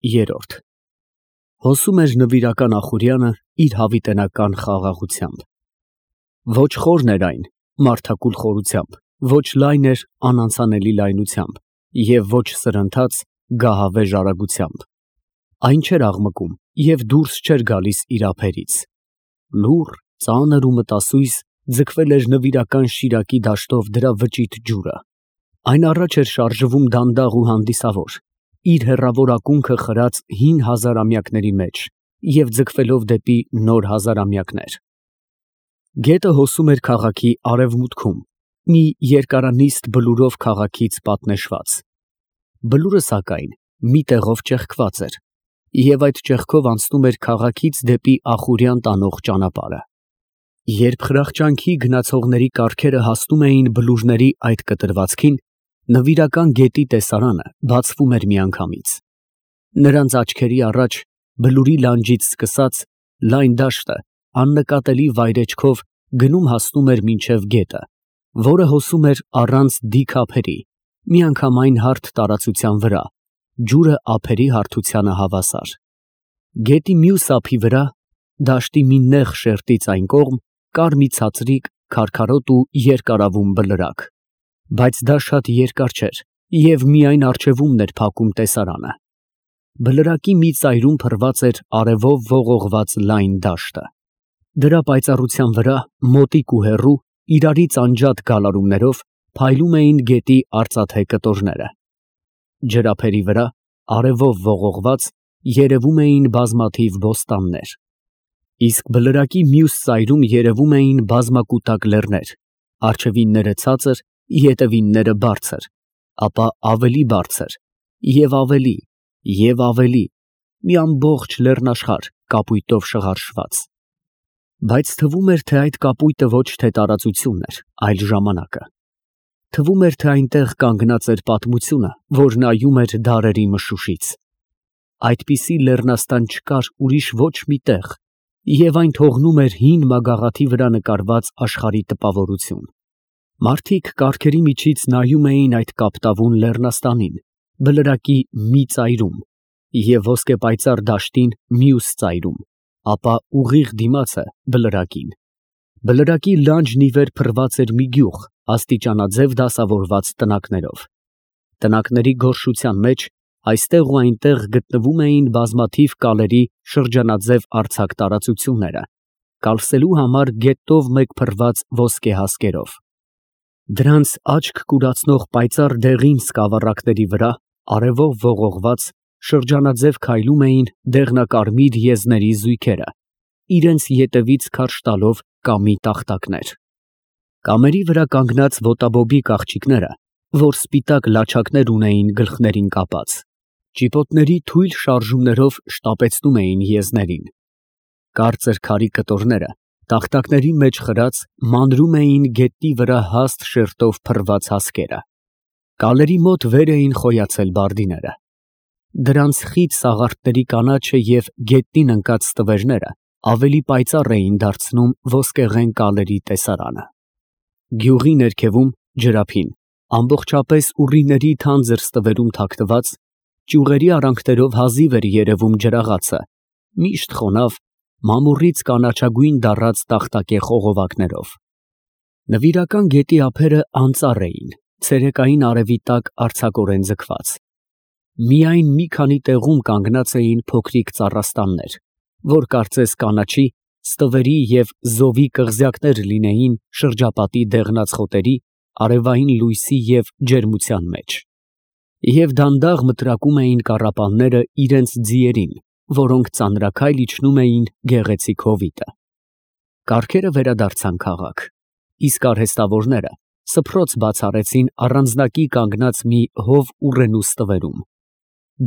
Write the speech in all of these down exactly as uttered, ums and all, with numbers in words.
Երրորդ Հոսում էր Նվիրական Ախուրյանը իր հավիտենական խաղաղությամբ։ Ոչ խորն էր այն մարդակուլ խորությամբ, ոչ լայն էր անանցանելի լայնությամբ և ոչ սրընթաց գահավեժ արագությամբ։ Այն չէր աղմկում և դուրս չէր գալիս իր ափերից։ Լուռ, ծանր ու մտասույզ ձգվել էր նվիրական Շիրակի դաշտով դրա վճիտ ջուրը։ Այն առաջ էր շարժվում դանդաղ ու հանդիսավոր, իր հեռավոր ակունքը խրած հին հազարամյակների մեջ և ձգվելով դեպի նոր հազարամյակներ։ Գետը հոսում էր քաղաքի արևմուտքում, մի երկարանիստ բլուրով քաղաքից պատնեշված։ Բլուրը, սակայն, մի տեղով ճեղքված էր, և այդ ճեղքով անցնում էր քաղաքից դեպի Ախուրյան տանող ճանապարհը։ Երբ խրախճանքի գնացողների կառքերը հասնում էին բլուրների այդ կտրվածքին, Նվիրական գետի տեսարանը բացվում էր միանգամից։ Նրանց աչքերի առաջ բլուրի լանջից սկսած լայն դաշտը աննկատելի վայրէջքով գնում հասնում էր մինչև գետը, որը հոսում էր առանց դիք ափերի, միանգամայն հարթ տարածության վրա, ջուրը ափերի հարթությանը հավասար։ Գետի մյուս ափի վրա, դաշտի մի նեղ շերտից այն կողմ, կար մի ցածրիկ, քարքարոտ ու երկարավուն բլրակ, բայց դա շատ երկար չէր և միայն առջևումն էր փակում տեսարանը։ Բլրակի մի ծայրում փռված էր արևով ողողված լայն դաշտը։ Դրա պայծառության վրա, մոտիկ ու հեռու, իրարից անջատ գալարումներով փայլում էին գետի արծաթե կտորները։ Ջրափերի վրա, արևով ողողված, երևում էին բազմաթիվ բոստաններ։ Իսկ բլրակի մյուս ծայրում երևում էին բազմակուտակ լեռներ, առջևինները ցածր, ետևինները բարձր, ապա ավելի բարձր և ավելի և ավելի, մի ամբողջ լեռնաշխարհ կապույտով շղարշված։ Բայց թվում էր, թե այդ կապույտը ոչ թե տարածությունն էր, այլ ժամանակը։ Թվում էր, թե այնտեղ կանգնած էր պատմությունը, որ նայում էր դարերի մշուշից։ Այդպիսի լեռնաստան չկար ուրիշ ոչ մի տեղ, և այն թողնում էր հին մագաղաթի վրա նկարված աշխարհի տպավորություն։ Մարդիկ կառքերի միջից նայում էին այդ կապտավուն լեռնաստանին, բլրակի մի ծայրում, և ոսկեպայծառ դաշտին մյուս ծայրում, ապա ուղիղ դիմացը բլրակին։ Բլրակի լանջն ի վեր փռված էր մի գյուղ աստիճանաձև դասավորված տնակներով։ Տնակների գորշության մեջ այստեղ ու այնտեղ գտնվում էին բազմաթիվ կալերի շրջանաձև արձակ տարածությունները, կալսելու համար գետով մեկ փռված ոսկե հասկերով։ Դրանց աչք կուրացնող պայծառ դեղին սկավառակների վրա, արևով ողողված, շրջանաձև քայլում էին դեղնակարմիր եզների զույգերը, իրենց ետևից քարշ տալով կամի տախտակներ։ Կամերի վրա կանգնած ոտաբոբիկ աղջիկները, որ սպիտակ լաչակներ ունեին գլխներին կապած, ճիպոտների թույլ շարժումներով շտապեցնում էին եզներին։ Կարծր քարի կտորները, տախտակների մեջ խրած, մանրում էին գետնի վրա հաստ շերտով փռված հասկերը։ Կալերի մոտ վեր էին խոյացել բարդիները։ Դրանց խիտ սաղարթների կանաչը և գետնին ընկած ստվերները ավելի պայծառ էին դարձնում ոսկեղեն կալերի տեսարանը։ Գյուղի ներքևում, ջրափին, ամբողջապես ուռիների թանձր ստվերում թաքնված, ճյուղերի արանքներով հազիվ էր երևում ջրաղացը, միշտ խոնավ, մամուռից կանաչագույն դառած տախտակե խողովակներով։ Նվիրական գետի ափերը անծառ էին, ցերեկային արևի տակ արձակորեն ձգված։ Միայն մի քանի տեղում կանգնած էին փոքրիկ ծառաստաններ, որ կարծես կանաչի, ստվերի և զովի կղզյակներ լինեին շրջապատի դեղնած խոտերի, արևային լույսի և ջերմության մեջ։ Եվ դանդաղ մտրակում էին կառապանները իրենց ձիերին, որոնք ծանրաքայլ իջնում էին գեղեցիկ հովիտը։ Կառքերը վերադարձան քաղաք, իսկ արհեստավորները սփռոց բաց արեցին առանձնակի կանգնած մի հով ուռենու ստվերում։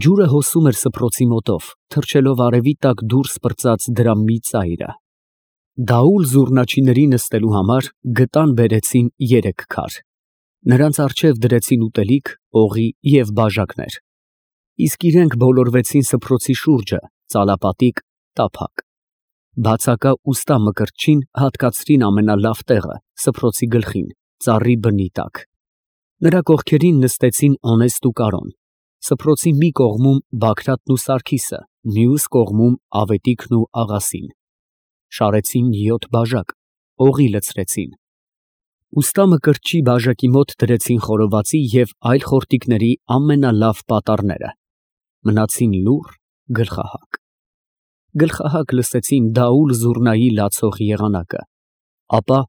Ջուրը հոսում էր սփռոցի մոտով, թռչելով արևի տակ դուրս պրծած դրա մի ծայրը։ Դաուլ զուռնաչիների նստելու համար գտան բերեցին երեք քար։ Նրանց առջև դրեցին ուտելիք, օղի և բաժակներ, իսկ իրենք բոլորվեցին սփռոցի շուրջը, ծալապատիկ, տափակ։ Բացակա ուստա մկրտչին հատկացրին ամենալավ տեղը սփռոցի գլխին, ծառի բնի տակ։ Նրա կողքերին նստեցին Օնեստ ու Կարոն, Սփռոցի մի կողմում Բագրատն ու Սարգիսը, մյուս կողմում Ավետիքն ու աղասին. շարեցին յոթ բաժակ, օղի լցրեցին։ Ուստա Մկրտչի բաժակի մոտ դրեցին խորովածի և այլ խորտիկների ամենալավ պատառները, մնացին լուռ, գլխահակ։ Գլխահակ լսեցին դաուլ զուռնայի լացող եղանակը, ապա,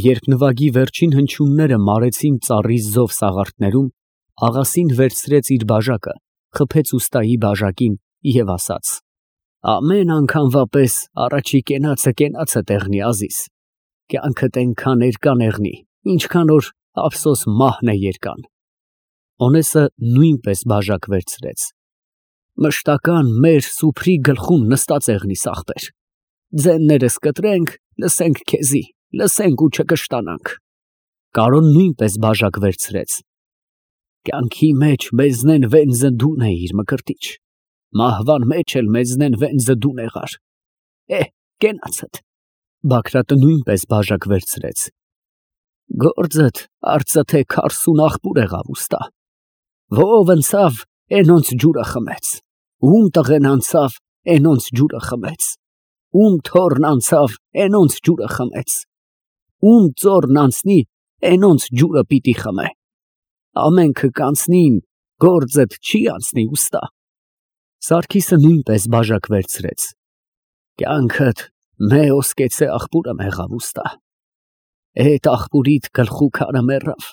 երբ նվագի վերջին հնչյունները մարեցին ծառի զով սաղարթներում, աղասին վերցրեց իր բաժակը, խփեց ուստայի բաժակին և ասաց. «Ամեն անգամվա պես առաջի կենացը կենացը տեղնի, Ազիզ, կյանքդ այնքան էրկան եղնի, ինչքան որ ափսոս մահն է երկան»։ Օնեսը նույնպես բաժակ վերցրեց. «Մշտական մեր սուփրի գլխուն նստած եղնի, Սաղբեր, ձեններս կտրենք, լսենք քեզի, լսենք ու չկշտանանք»։ Կարոն նույնպես բաժակ վերցրեց. «Կյանքի մեջ մեզնեն վենձը դուն էիր, Մկրտիչ, մահվան մեջ էլ մեզնեն վենձը դուն եղար, էհ, կենացդ»։ Բագրատը նույնպես բաժակ վերցրեց. «Գործդ արծթե քարսուն աղբուր եղավ, ուստա, ով ընցավ, էնոնց ջուրը խմեց, ում տղեն անցավ, էնոնց ջուրը խմեց, ում թոռն անցավ, էնոնց ջուրը խմեց, ում ծոռն անցնի, էնոնց ջուրը պիտի խմե, ամենքը կանցնին, գործդ չի անցնի, ուստա»։ Սարգիսը նույնպես բաժակ վերցրեց. «Կյանքդ մե ոսկեցե աղբուրը եղավ, ուստա, էդ աղբուրիդ գլխու քարը մեռավ,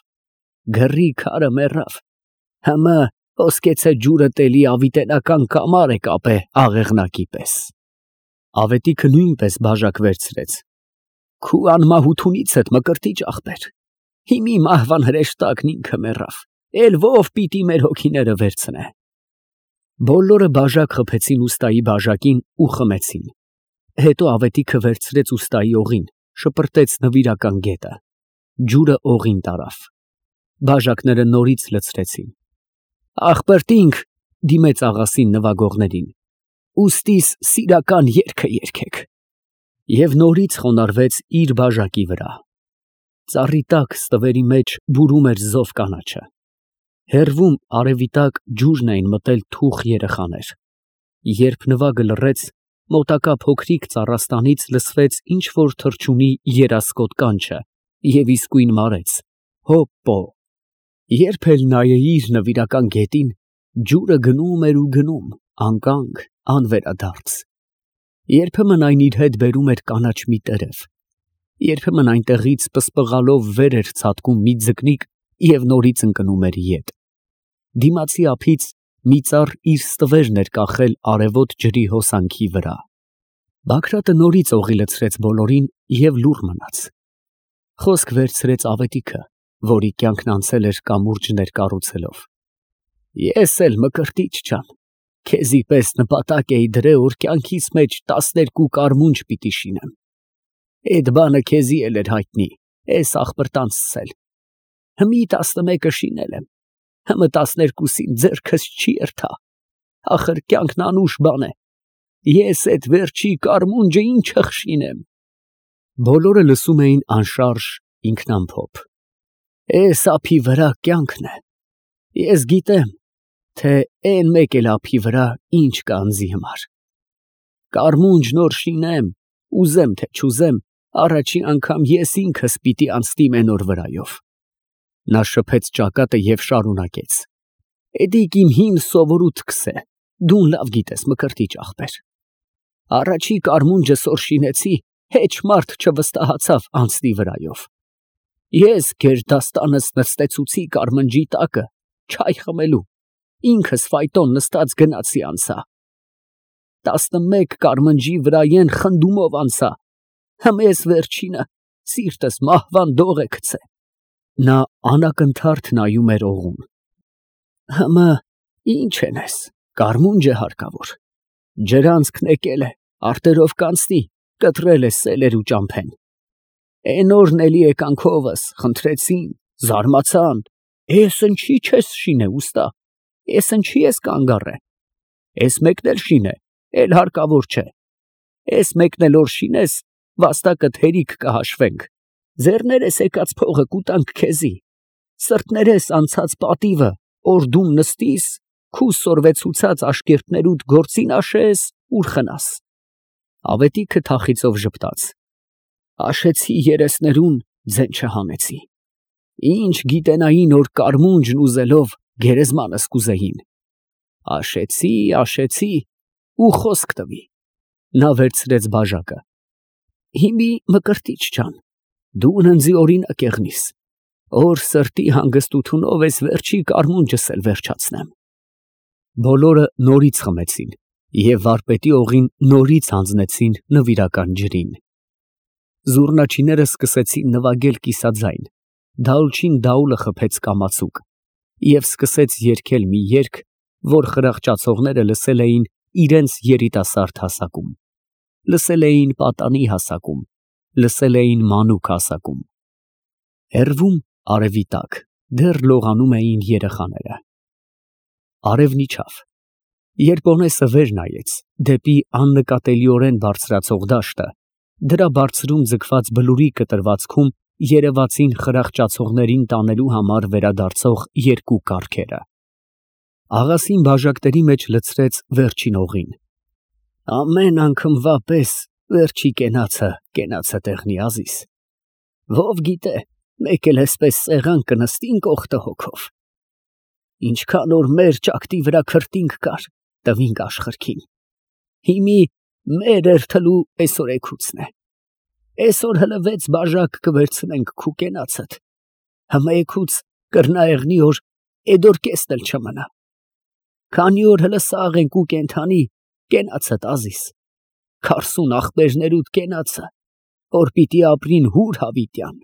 գրի քարը մեռավ, հմը ոսկեցե ջուրը տելի ավիտենական կամար է կապե աղեղնակի պես»։ Ավետիքը նույնպես բաժակ վերցրեց. «Քու անմահութունիցդ, Մկրտիչ աղբեր, հիմի մահվան հրեշտակն ինքը մեռավ, էլ ով պիտի մեր հոգիները վերցնե»։ Բոլորը բաժակ խփեցին ուստայի բաժակին ու խմեցին։ Հետո Ավետիքը վերցրեց ուստայի օղին, շպրտեց նվիրական գետը, ջուրը օղին տարավ։ Բաժակները նորից լցրեցին։ «Աղբերտինք», դիմեց աղասին նվագողներին, «ուստիս սիրական երգը երգեք»։ Եվ նորից խոնարհվեց իր բաժակի վրա։ Ծառի տակ ստվերի մեջ բուրում էր զով կանաչը։ Հեռվում արևի տակ ջուրն էին մտել թուխ երեխաներ։ Երբ նվագը լռեց, մոտակա փոքրիկ ծառաստանից լսվեց ինչ֊որ թռչունի երասկոտ կանչը և իսկույն մարեց. «Հոպպո»։ Երբ էլ նայեիր նվիրական գետին, ջուրը գնում էր ու գնում, անկանգ, անվերադարձ։ Երբեմն այն իր հետ բերում էր կանաչ մի տերև, երբեմն այնտեղից պսպղալով վեր էր ցատկում մի ձկնիկ և նորից ընկնում էր ետ։ Դիմացի ափից մի ծառ իր ստվերն էր կախել արևոտ ջրի հոսանքի վրա։ Բագրատը նորից օղի լցրեց բոլորին և լուռ մնաց։ Խոսք վերցրեց Ավետիքը, որի կյանքն անցել էր կամուրջներ կառուցելով. «Ես էլ, Մկրտիչ ջան, քեզի պես նպատակ էի դրել, որ կյանքիս մեջ տասներկու կարմունջ պիտի շինեմ։ Էդ բանը քեզի էլ էր հայտնի, էս աղբրտանցս էլ։ Հմի տասնմեկը շինել եմ, հմը տասներկուսին ձեռքս չի երթա, ախր կյանքն անուշ բան է, ես էդ վերջի կարմունջը ի՞նչը խշինեմ»։ Բոլորը լսում էին անշարժ ինքնամփոփ. «Էս ափի վրա կյանքն է, ես գիտեմ, թե էն մեկ էլ ափի վրա ինչ կա ինձի համար։ Կարմունջ նոր շինեմ, ուզեմ թե չուզեմ, առաջի անգամ ես ինքս պիտի անցնիմ էն օր վրայով»։ Նա շփեց ճակատը և շարունակեց. «Էդիկ իմ հին սովորութքս է, դուն լավ գիտես, Մկրտիչ աղբեր։ Առաջի կարմունջս որ շինեցի, հեչ մարդ չվստահացավ անցնի վրայով։ Ես գերդաստանս նստեցուցի կարմնջի տակը, չայ խմելու, ինքս ֆայտոն նստած գնացի անցա։ Տասնմեկ կարմնջի վրայեն խնդումով անցա, հմ էս վերջինը սիրտս մահվան դող է գցե»։ Նա անակնթարթ նայում էր օղուն։ «Հմը ինչ ենես, կարմունջ է հարկավոր, ջրանցքն եկել է, արտերով կանցնի, կտրել է սելեր ու ճամփեն։ Էն օրն էլի եկանքովս խնդրեցին, զարմացան, էս ընչի չես շինե, ուստա, էս ընչի ես կանգ առե։ Էս մեկն էլ շինե, էլ հարկավոր չէ։ Էս մեկն էլ որ շինես, վաստակդ հերիք կհաշվենք, ձեռներես եկած փողը կուտանք քեզի, սրտներես անցած պատիվը, որ դու նստիս, քու սորվեցուցած աշկերտներուդ գործին աշես, ուր խնաս։ Ավետիքը թախիծով ժպտաց. աշեցի երեսներուն, ձեն չհանեցի։ Ինչ գիտենային, որ կարմունջն ուզելով գերեզմանս կուզեին։ Աշեցի, աշեցի, ու խոսք տվի։ Նա վերցրեց բաժակը։ Հիմի մկրտիչ ջան, դու ունենձի օրինակ եղնիս, որ սրտի հանգստությունով ես վերջի կարմունջս էլ վերջացնեմ։ Բոլորը նորից խմեցին և վարպետի օղին նորից հանձնեցին նվիրական ջրին։ Զուռնաչիները սկսեցին նվագել կիսաձայն, Դալչին Դաուլը խփեց կամացուկ և սկսեց երգել մի երգ, որ խրախճացողները լսել էին իրենց երիտասարդ հասակում, լսել էին պատանի հասակում, լսել էին մանուկ հասակում։ Հեռվում, արևի տակ, դեռ լողանում էին երեխաները։ Արևն իջավ։ Երբ Օնեսը վեր նայեց դեպի աննկատելիորեն բարձրացող դաշտը, դրա բարձրում ձգված բլուրի կտրվածքում երևացին խրախճացողներին տանելու համար վերադարձող երկու կառքերը։ Աղասին բաժակների մեջ լցրեց վերջին օղին։ Ամեն անգամվա պես վերջի կենացը, կենացը տեղնի Ազիզ։ Ով գիտե, մեկ էլ էսպես սեղան կնստինք օգտը հոգով։ Ինչքան որ մեր ճակտի վրա քրտինք կար, տվինք աշխարհքին։ Հիմի մեր երթալու այսօր էգուցն է։ Այսօր հլը վեց բաժակ կվերցնենք քու կենացդ։ Հիմա էգուց կրնայեղնի որ էդոր կեսն էլ չմնա։ Քանի որ հլը սաղ ենք ու կենթանի, կենացդ Ազիզ, քարսուն ախպերներուդ կենացը, որ պիտի ապրին հուր հավիտյան։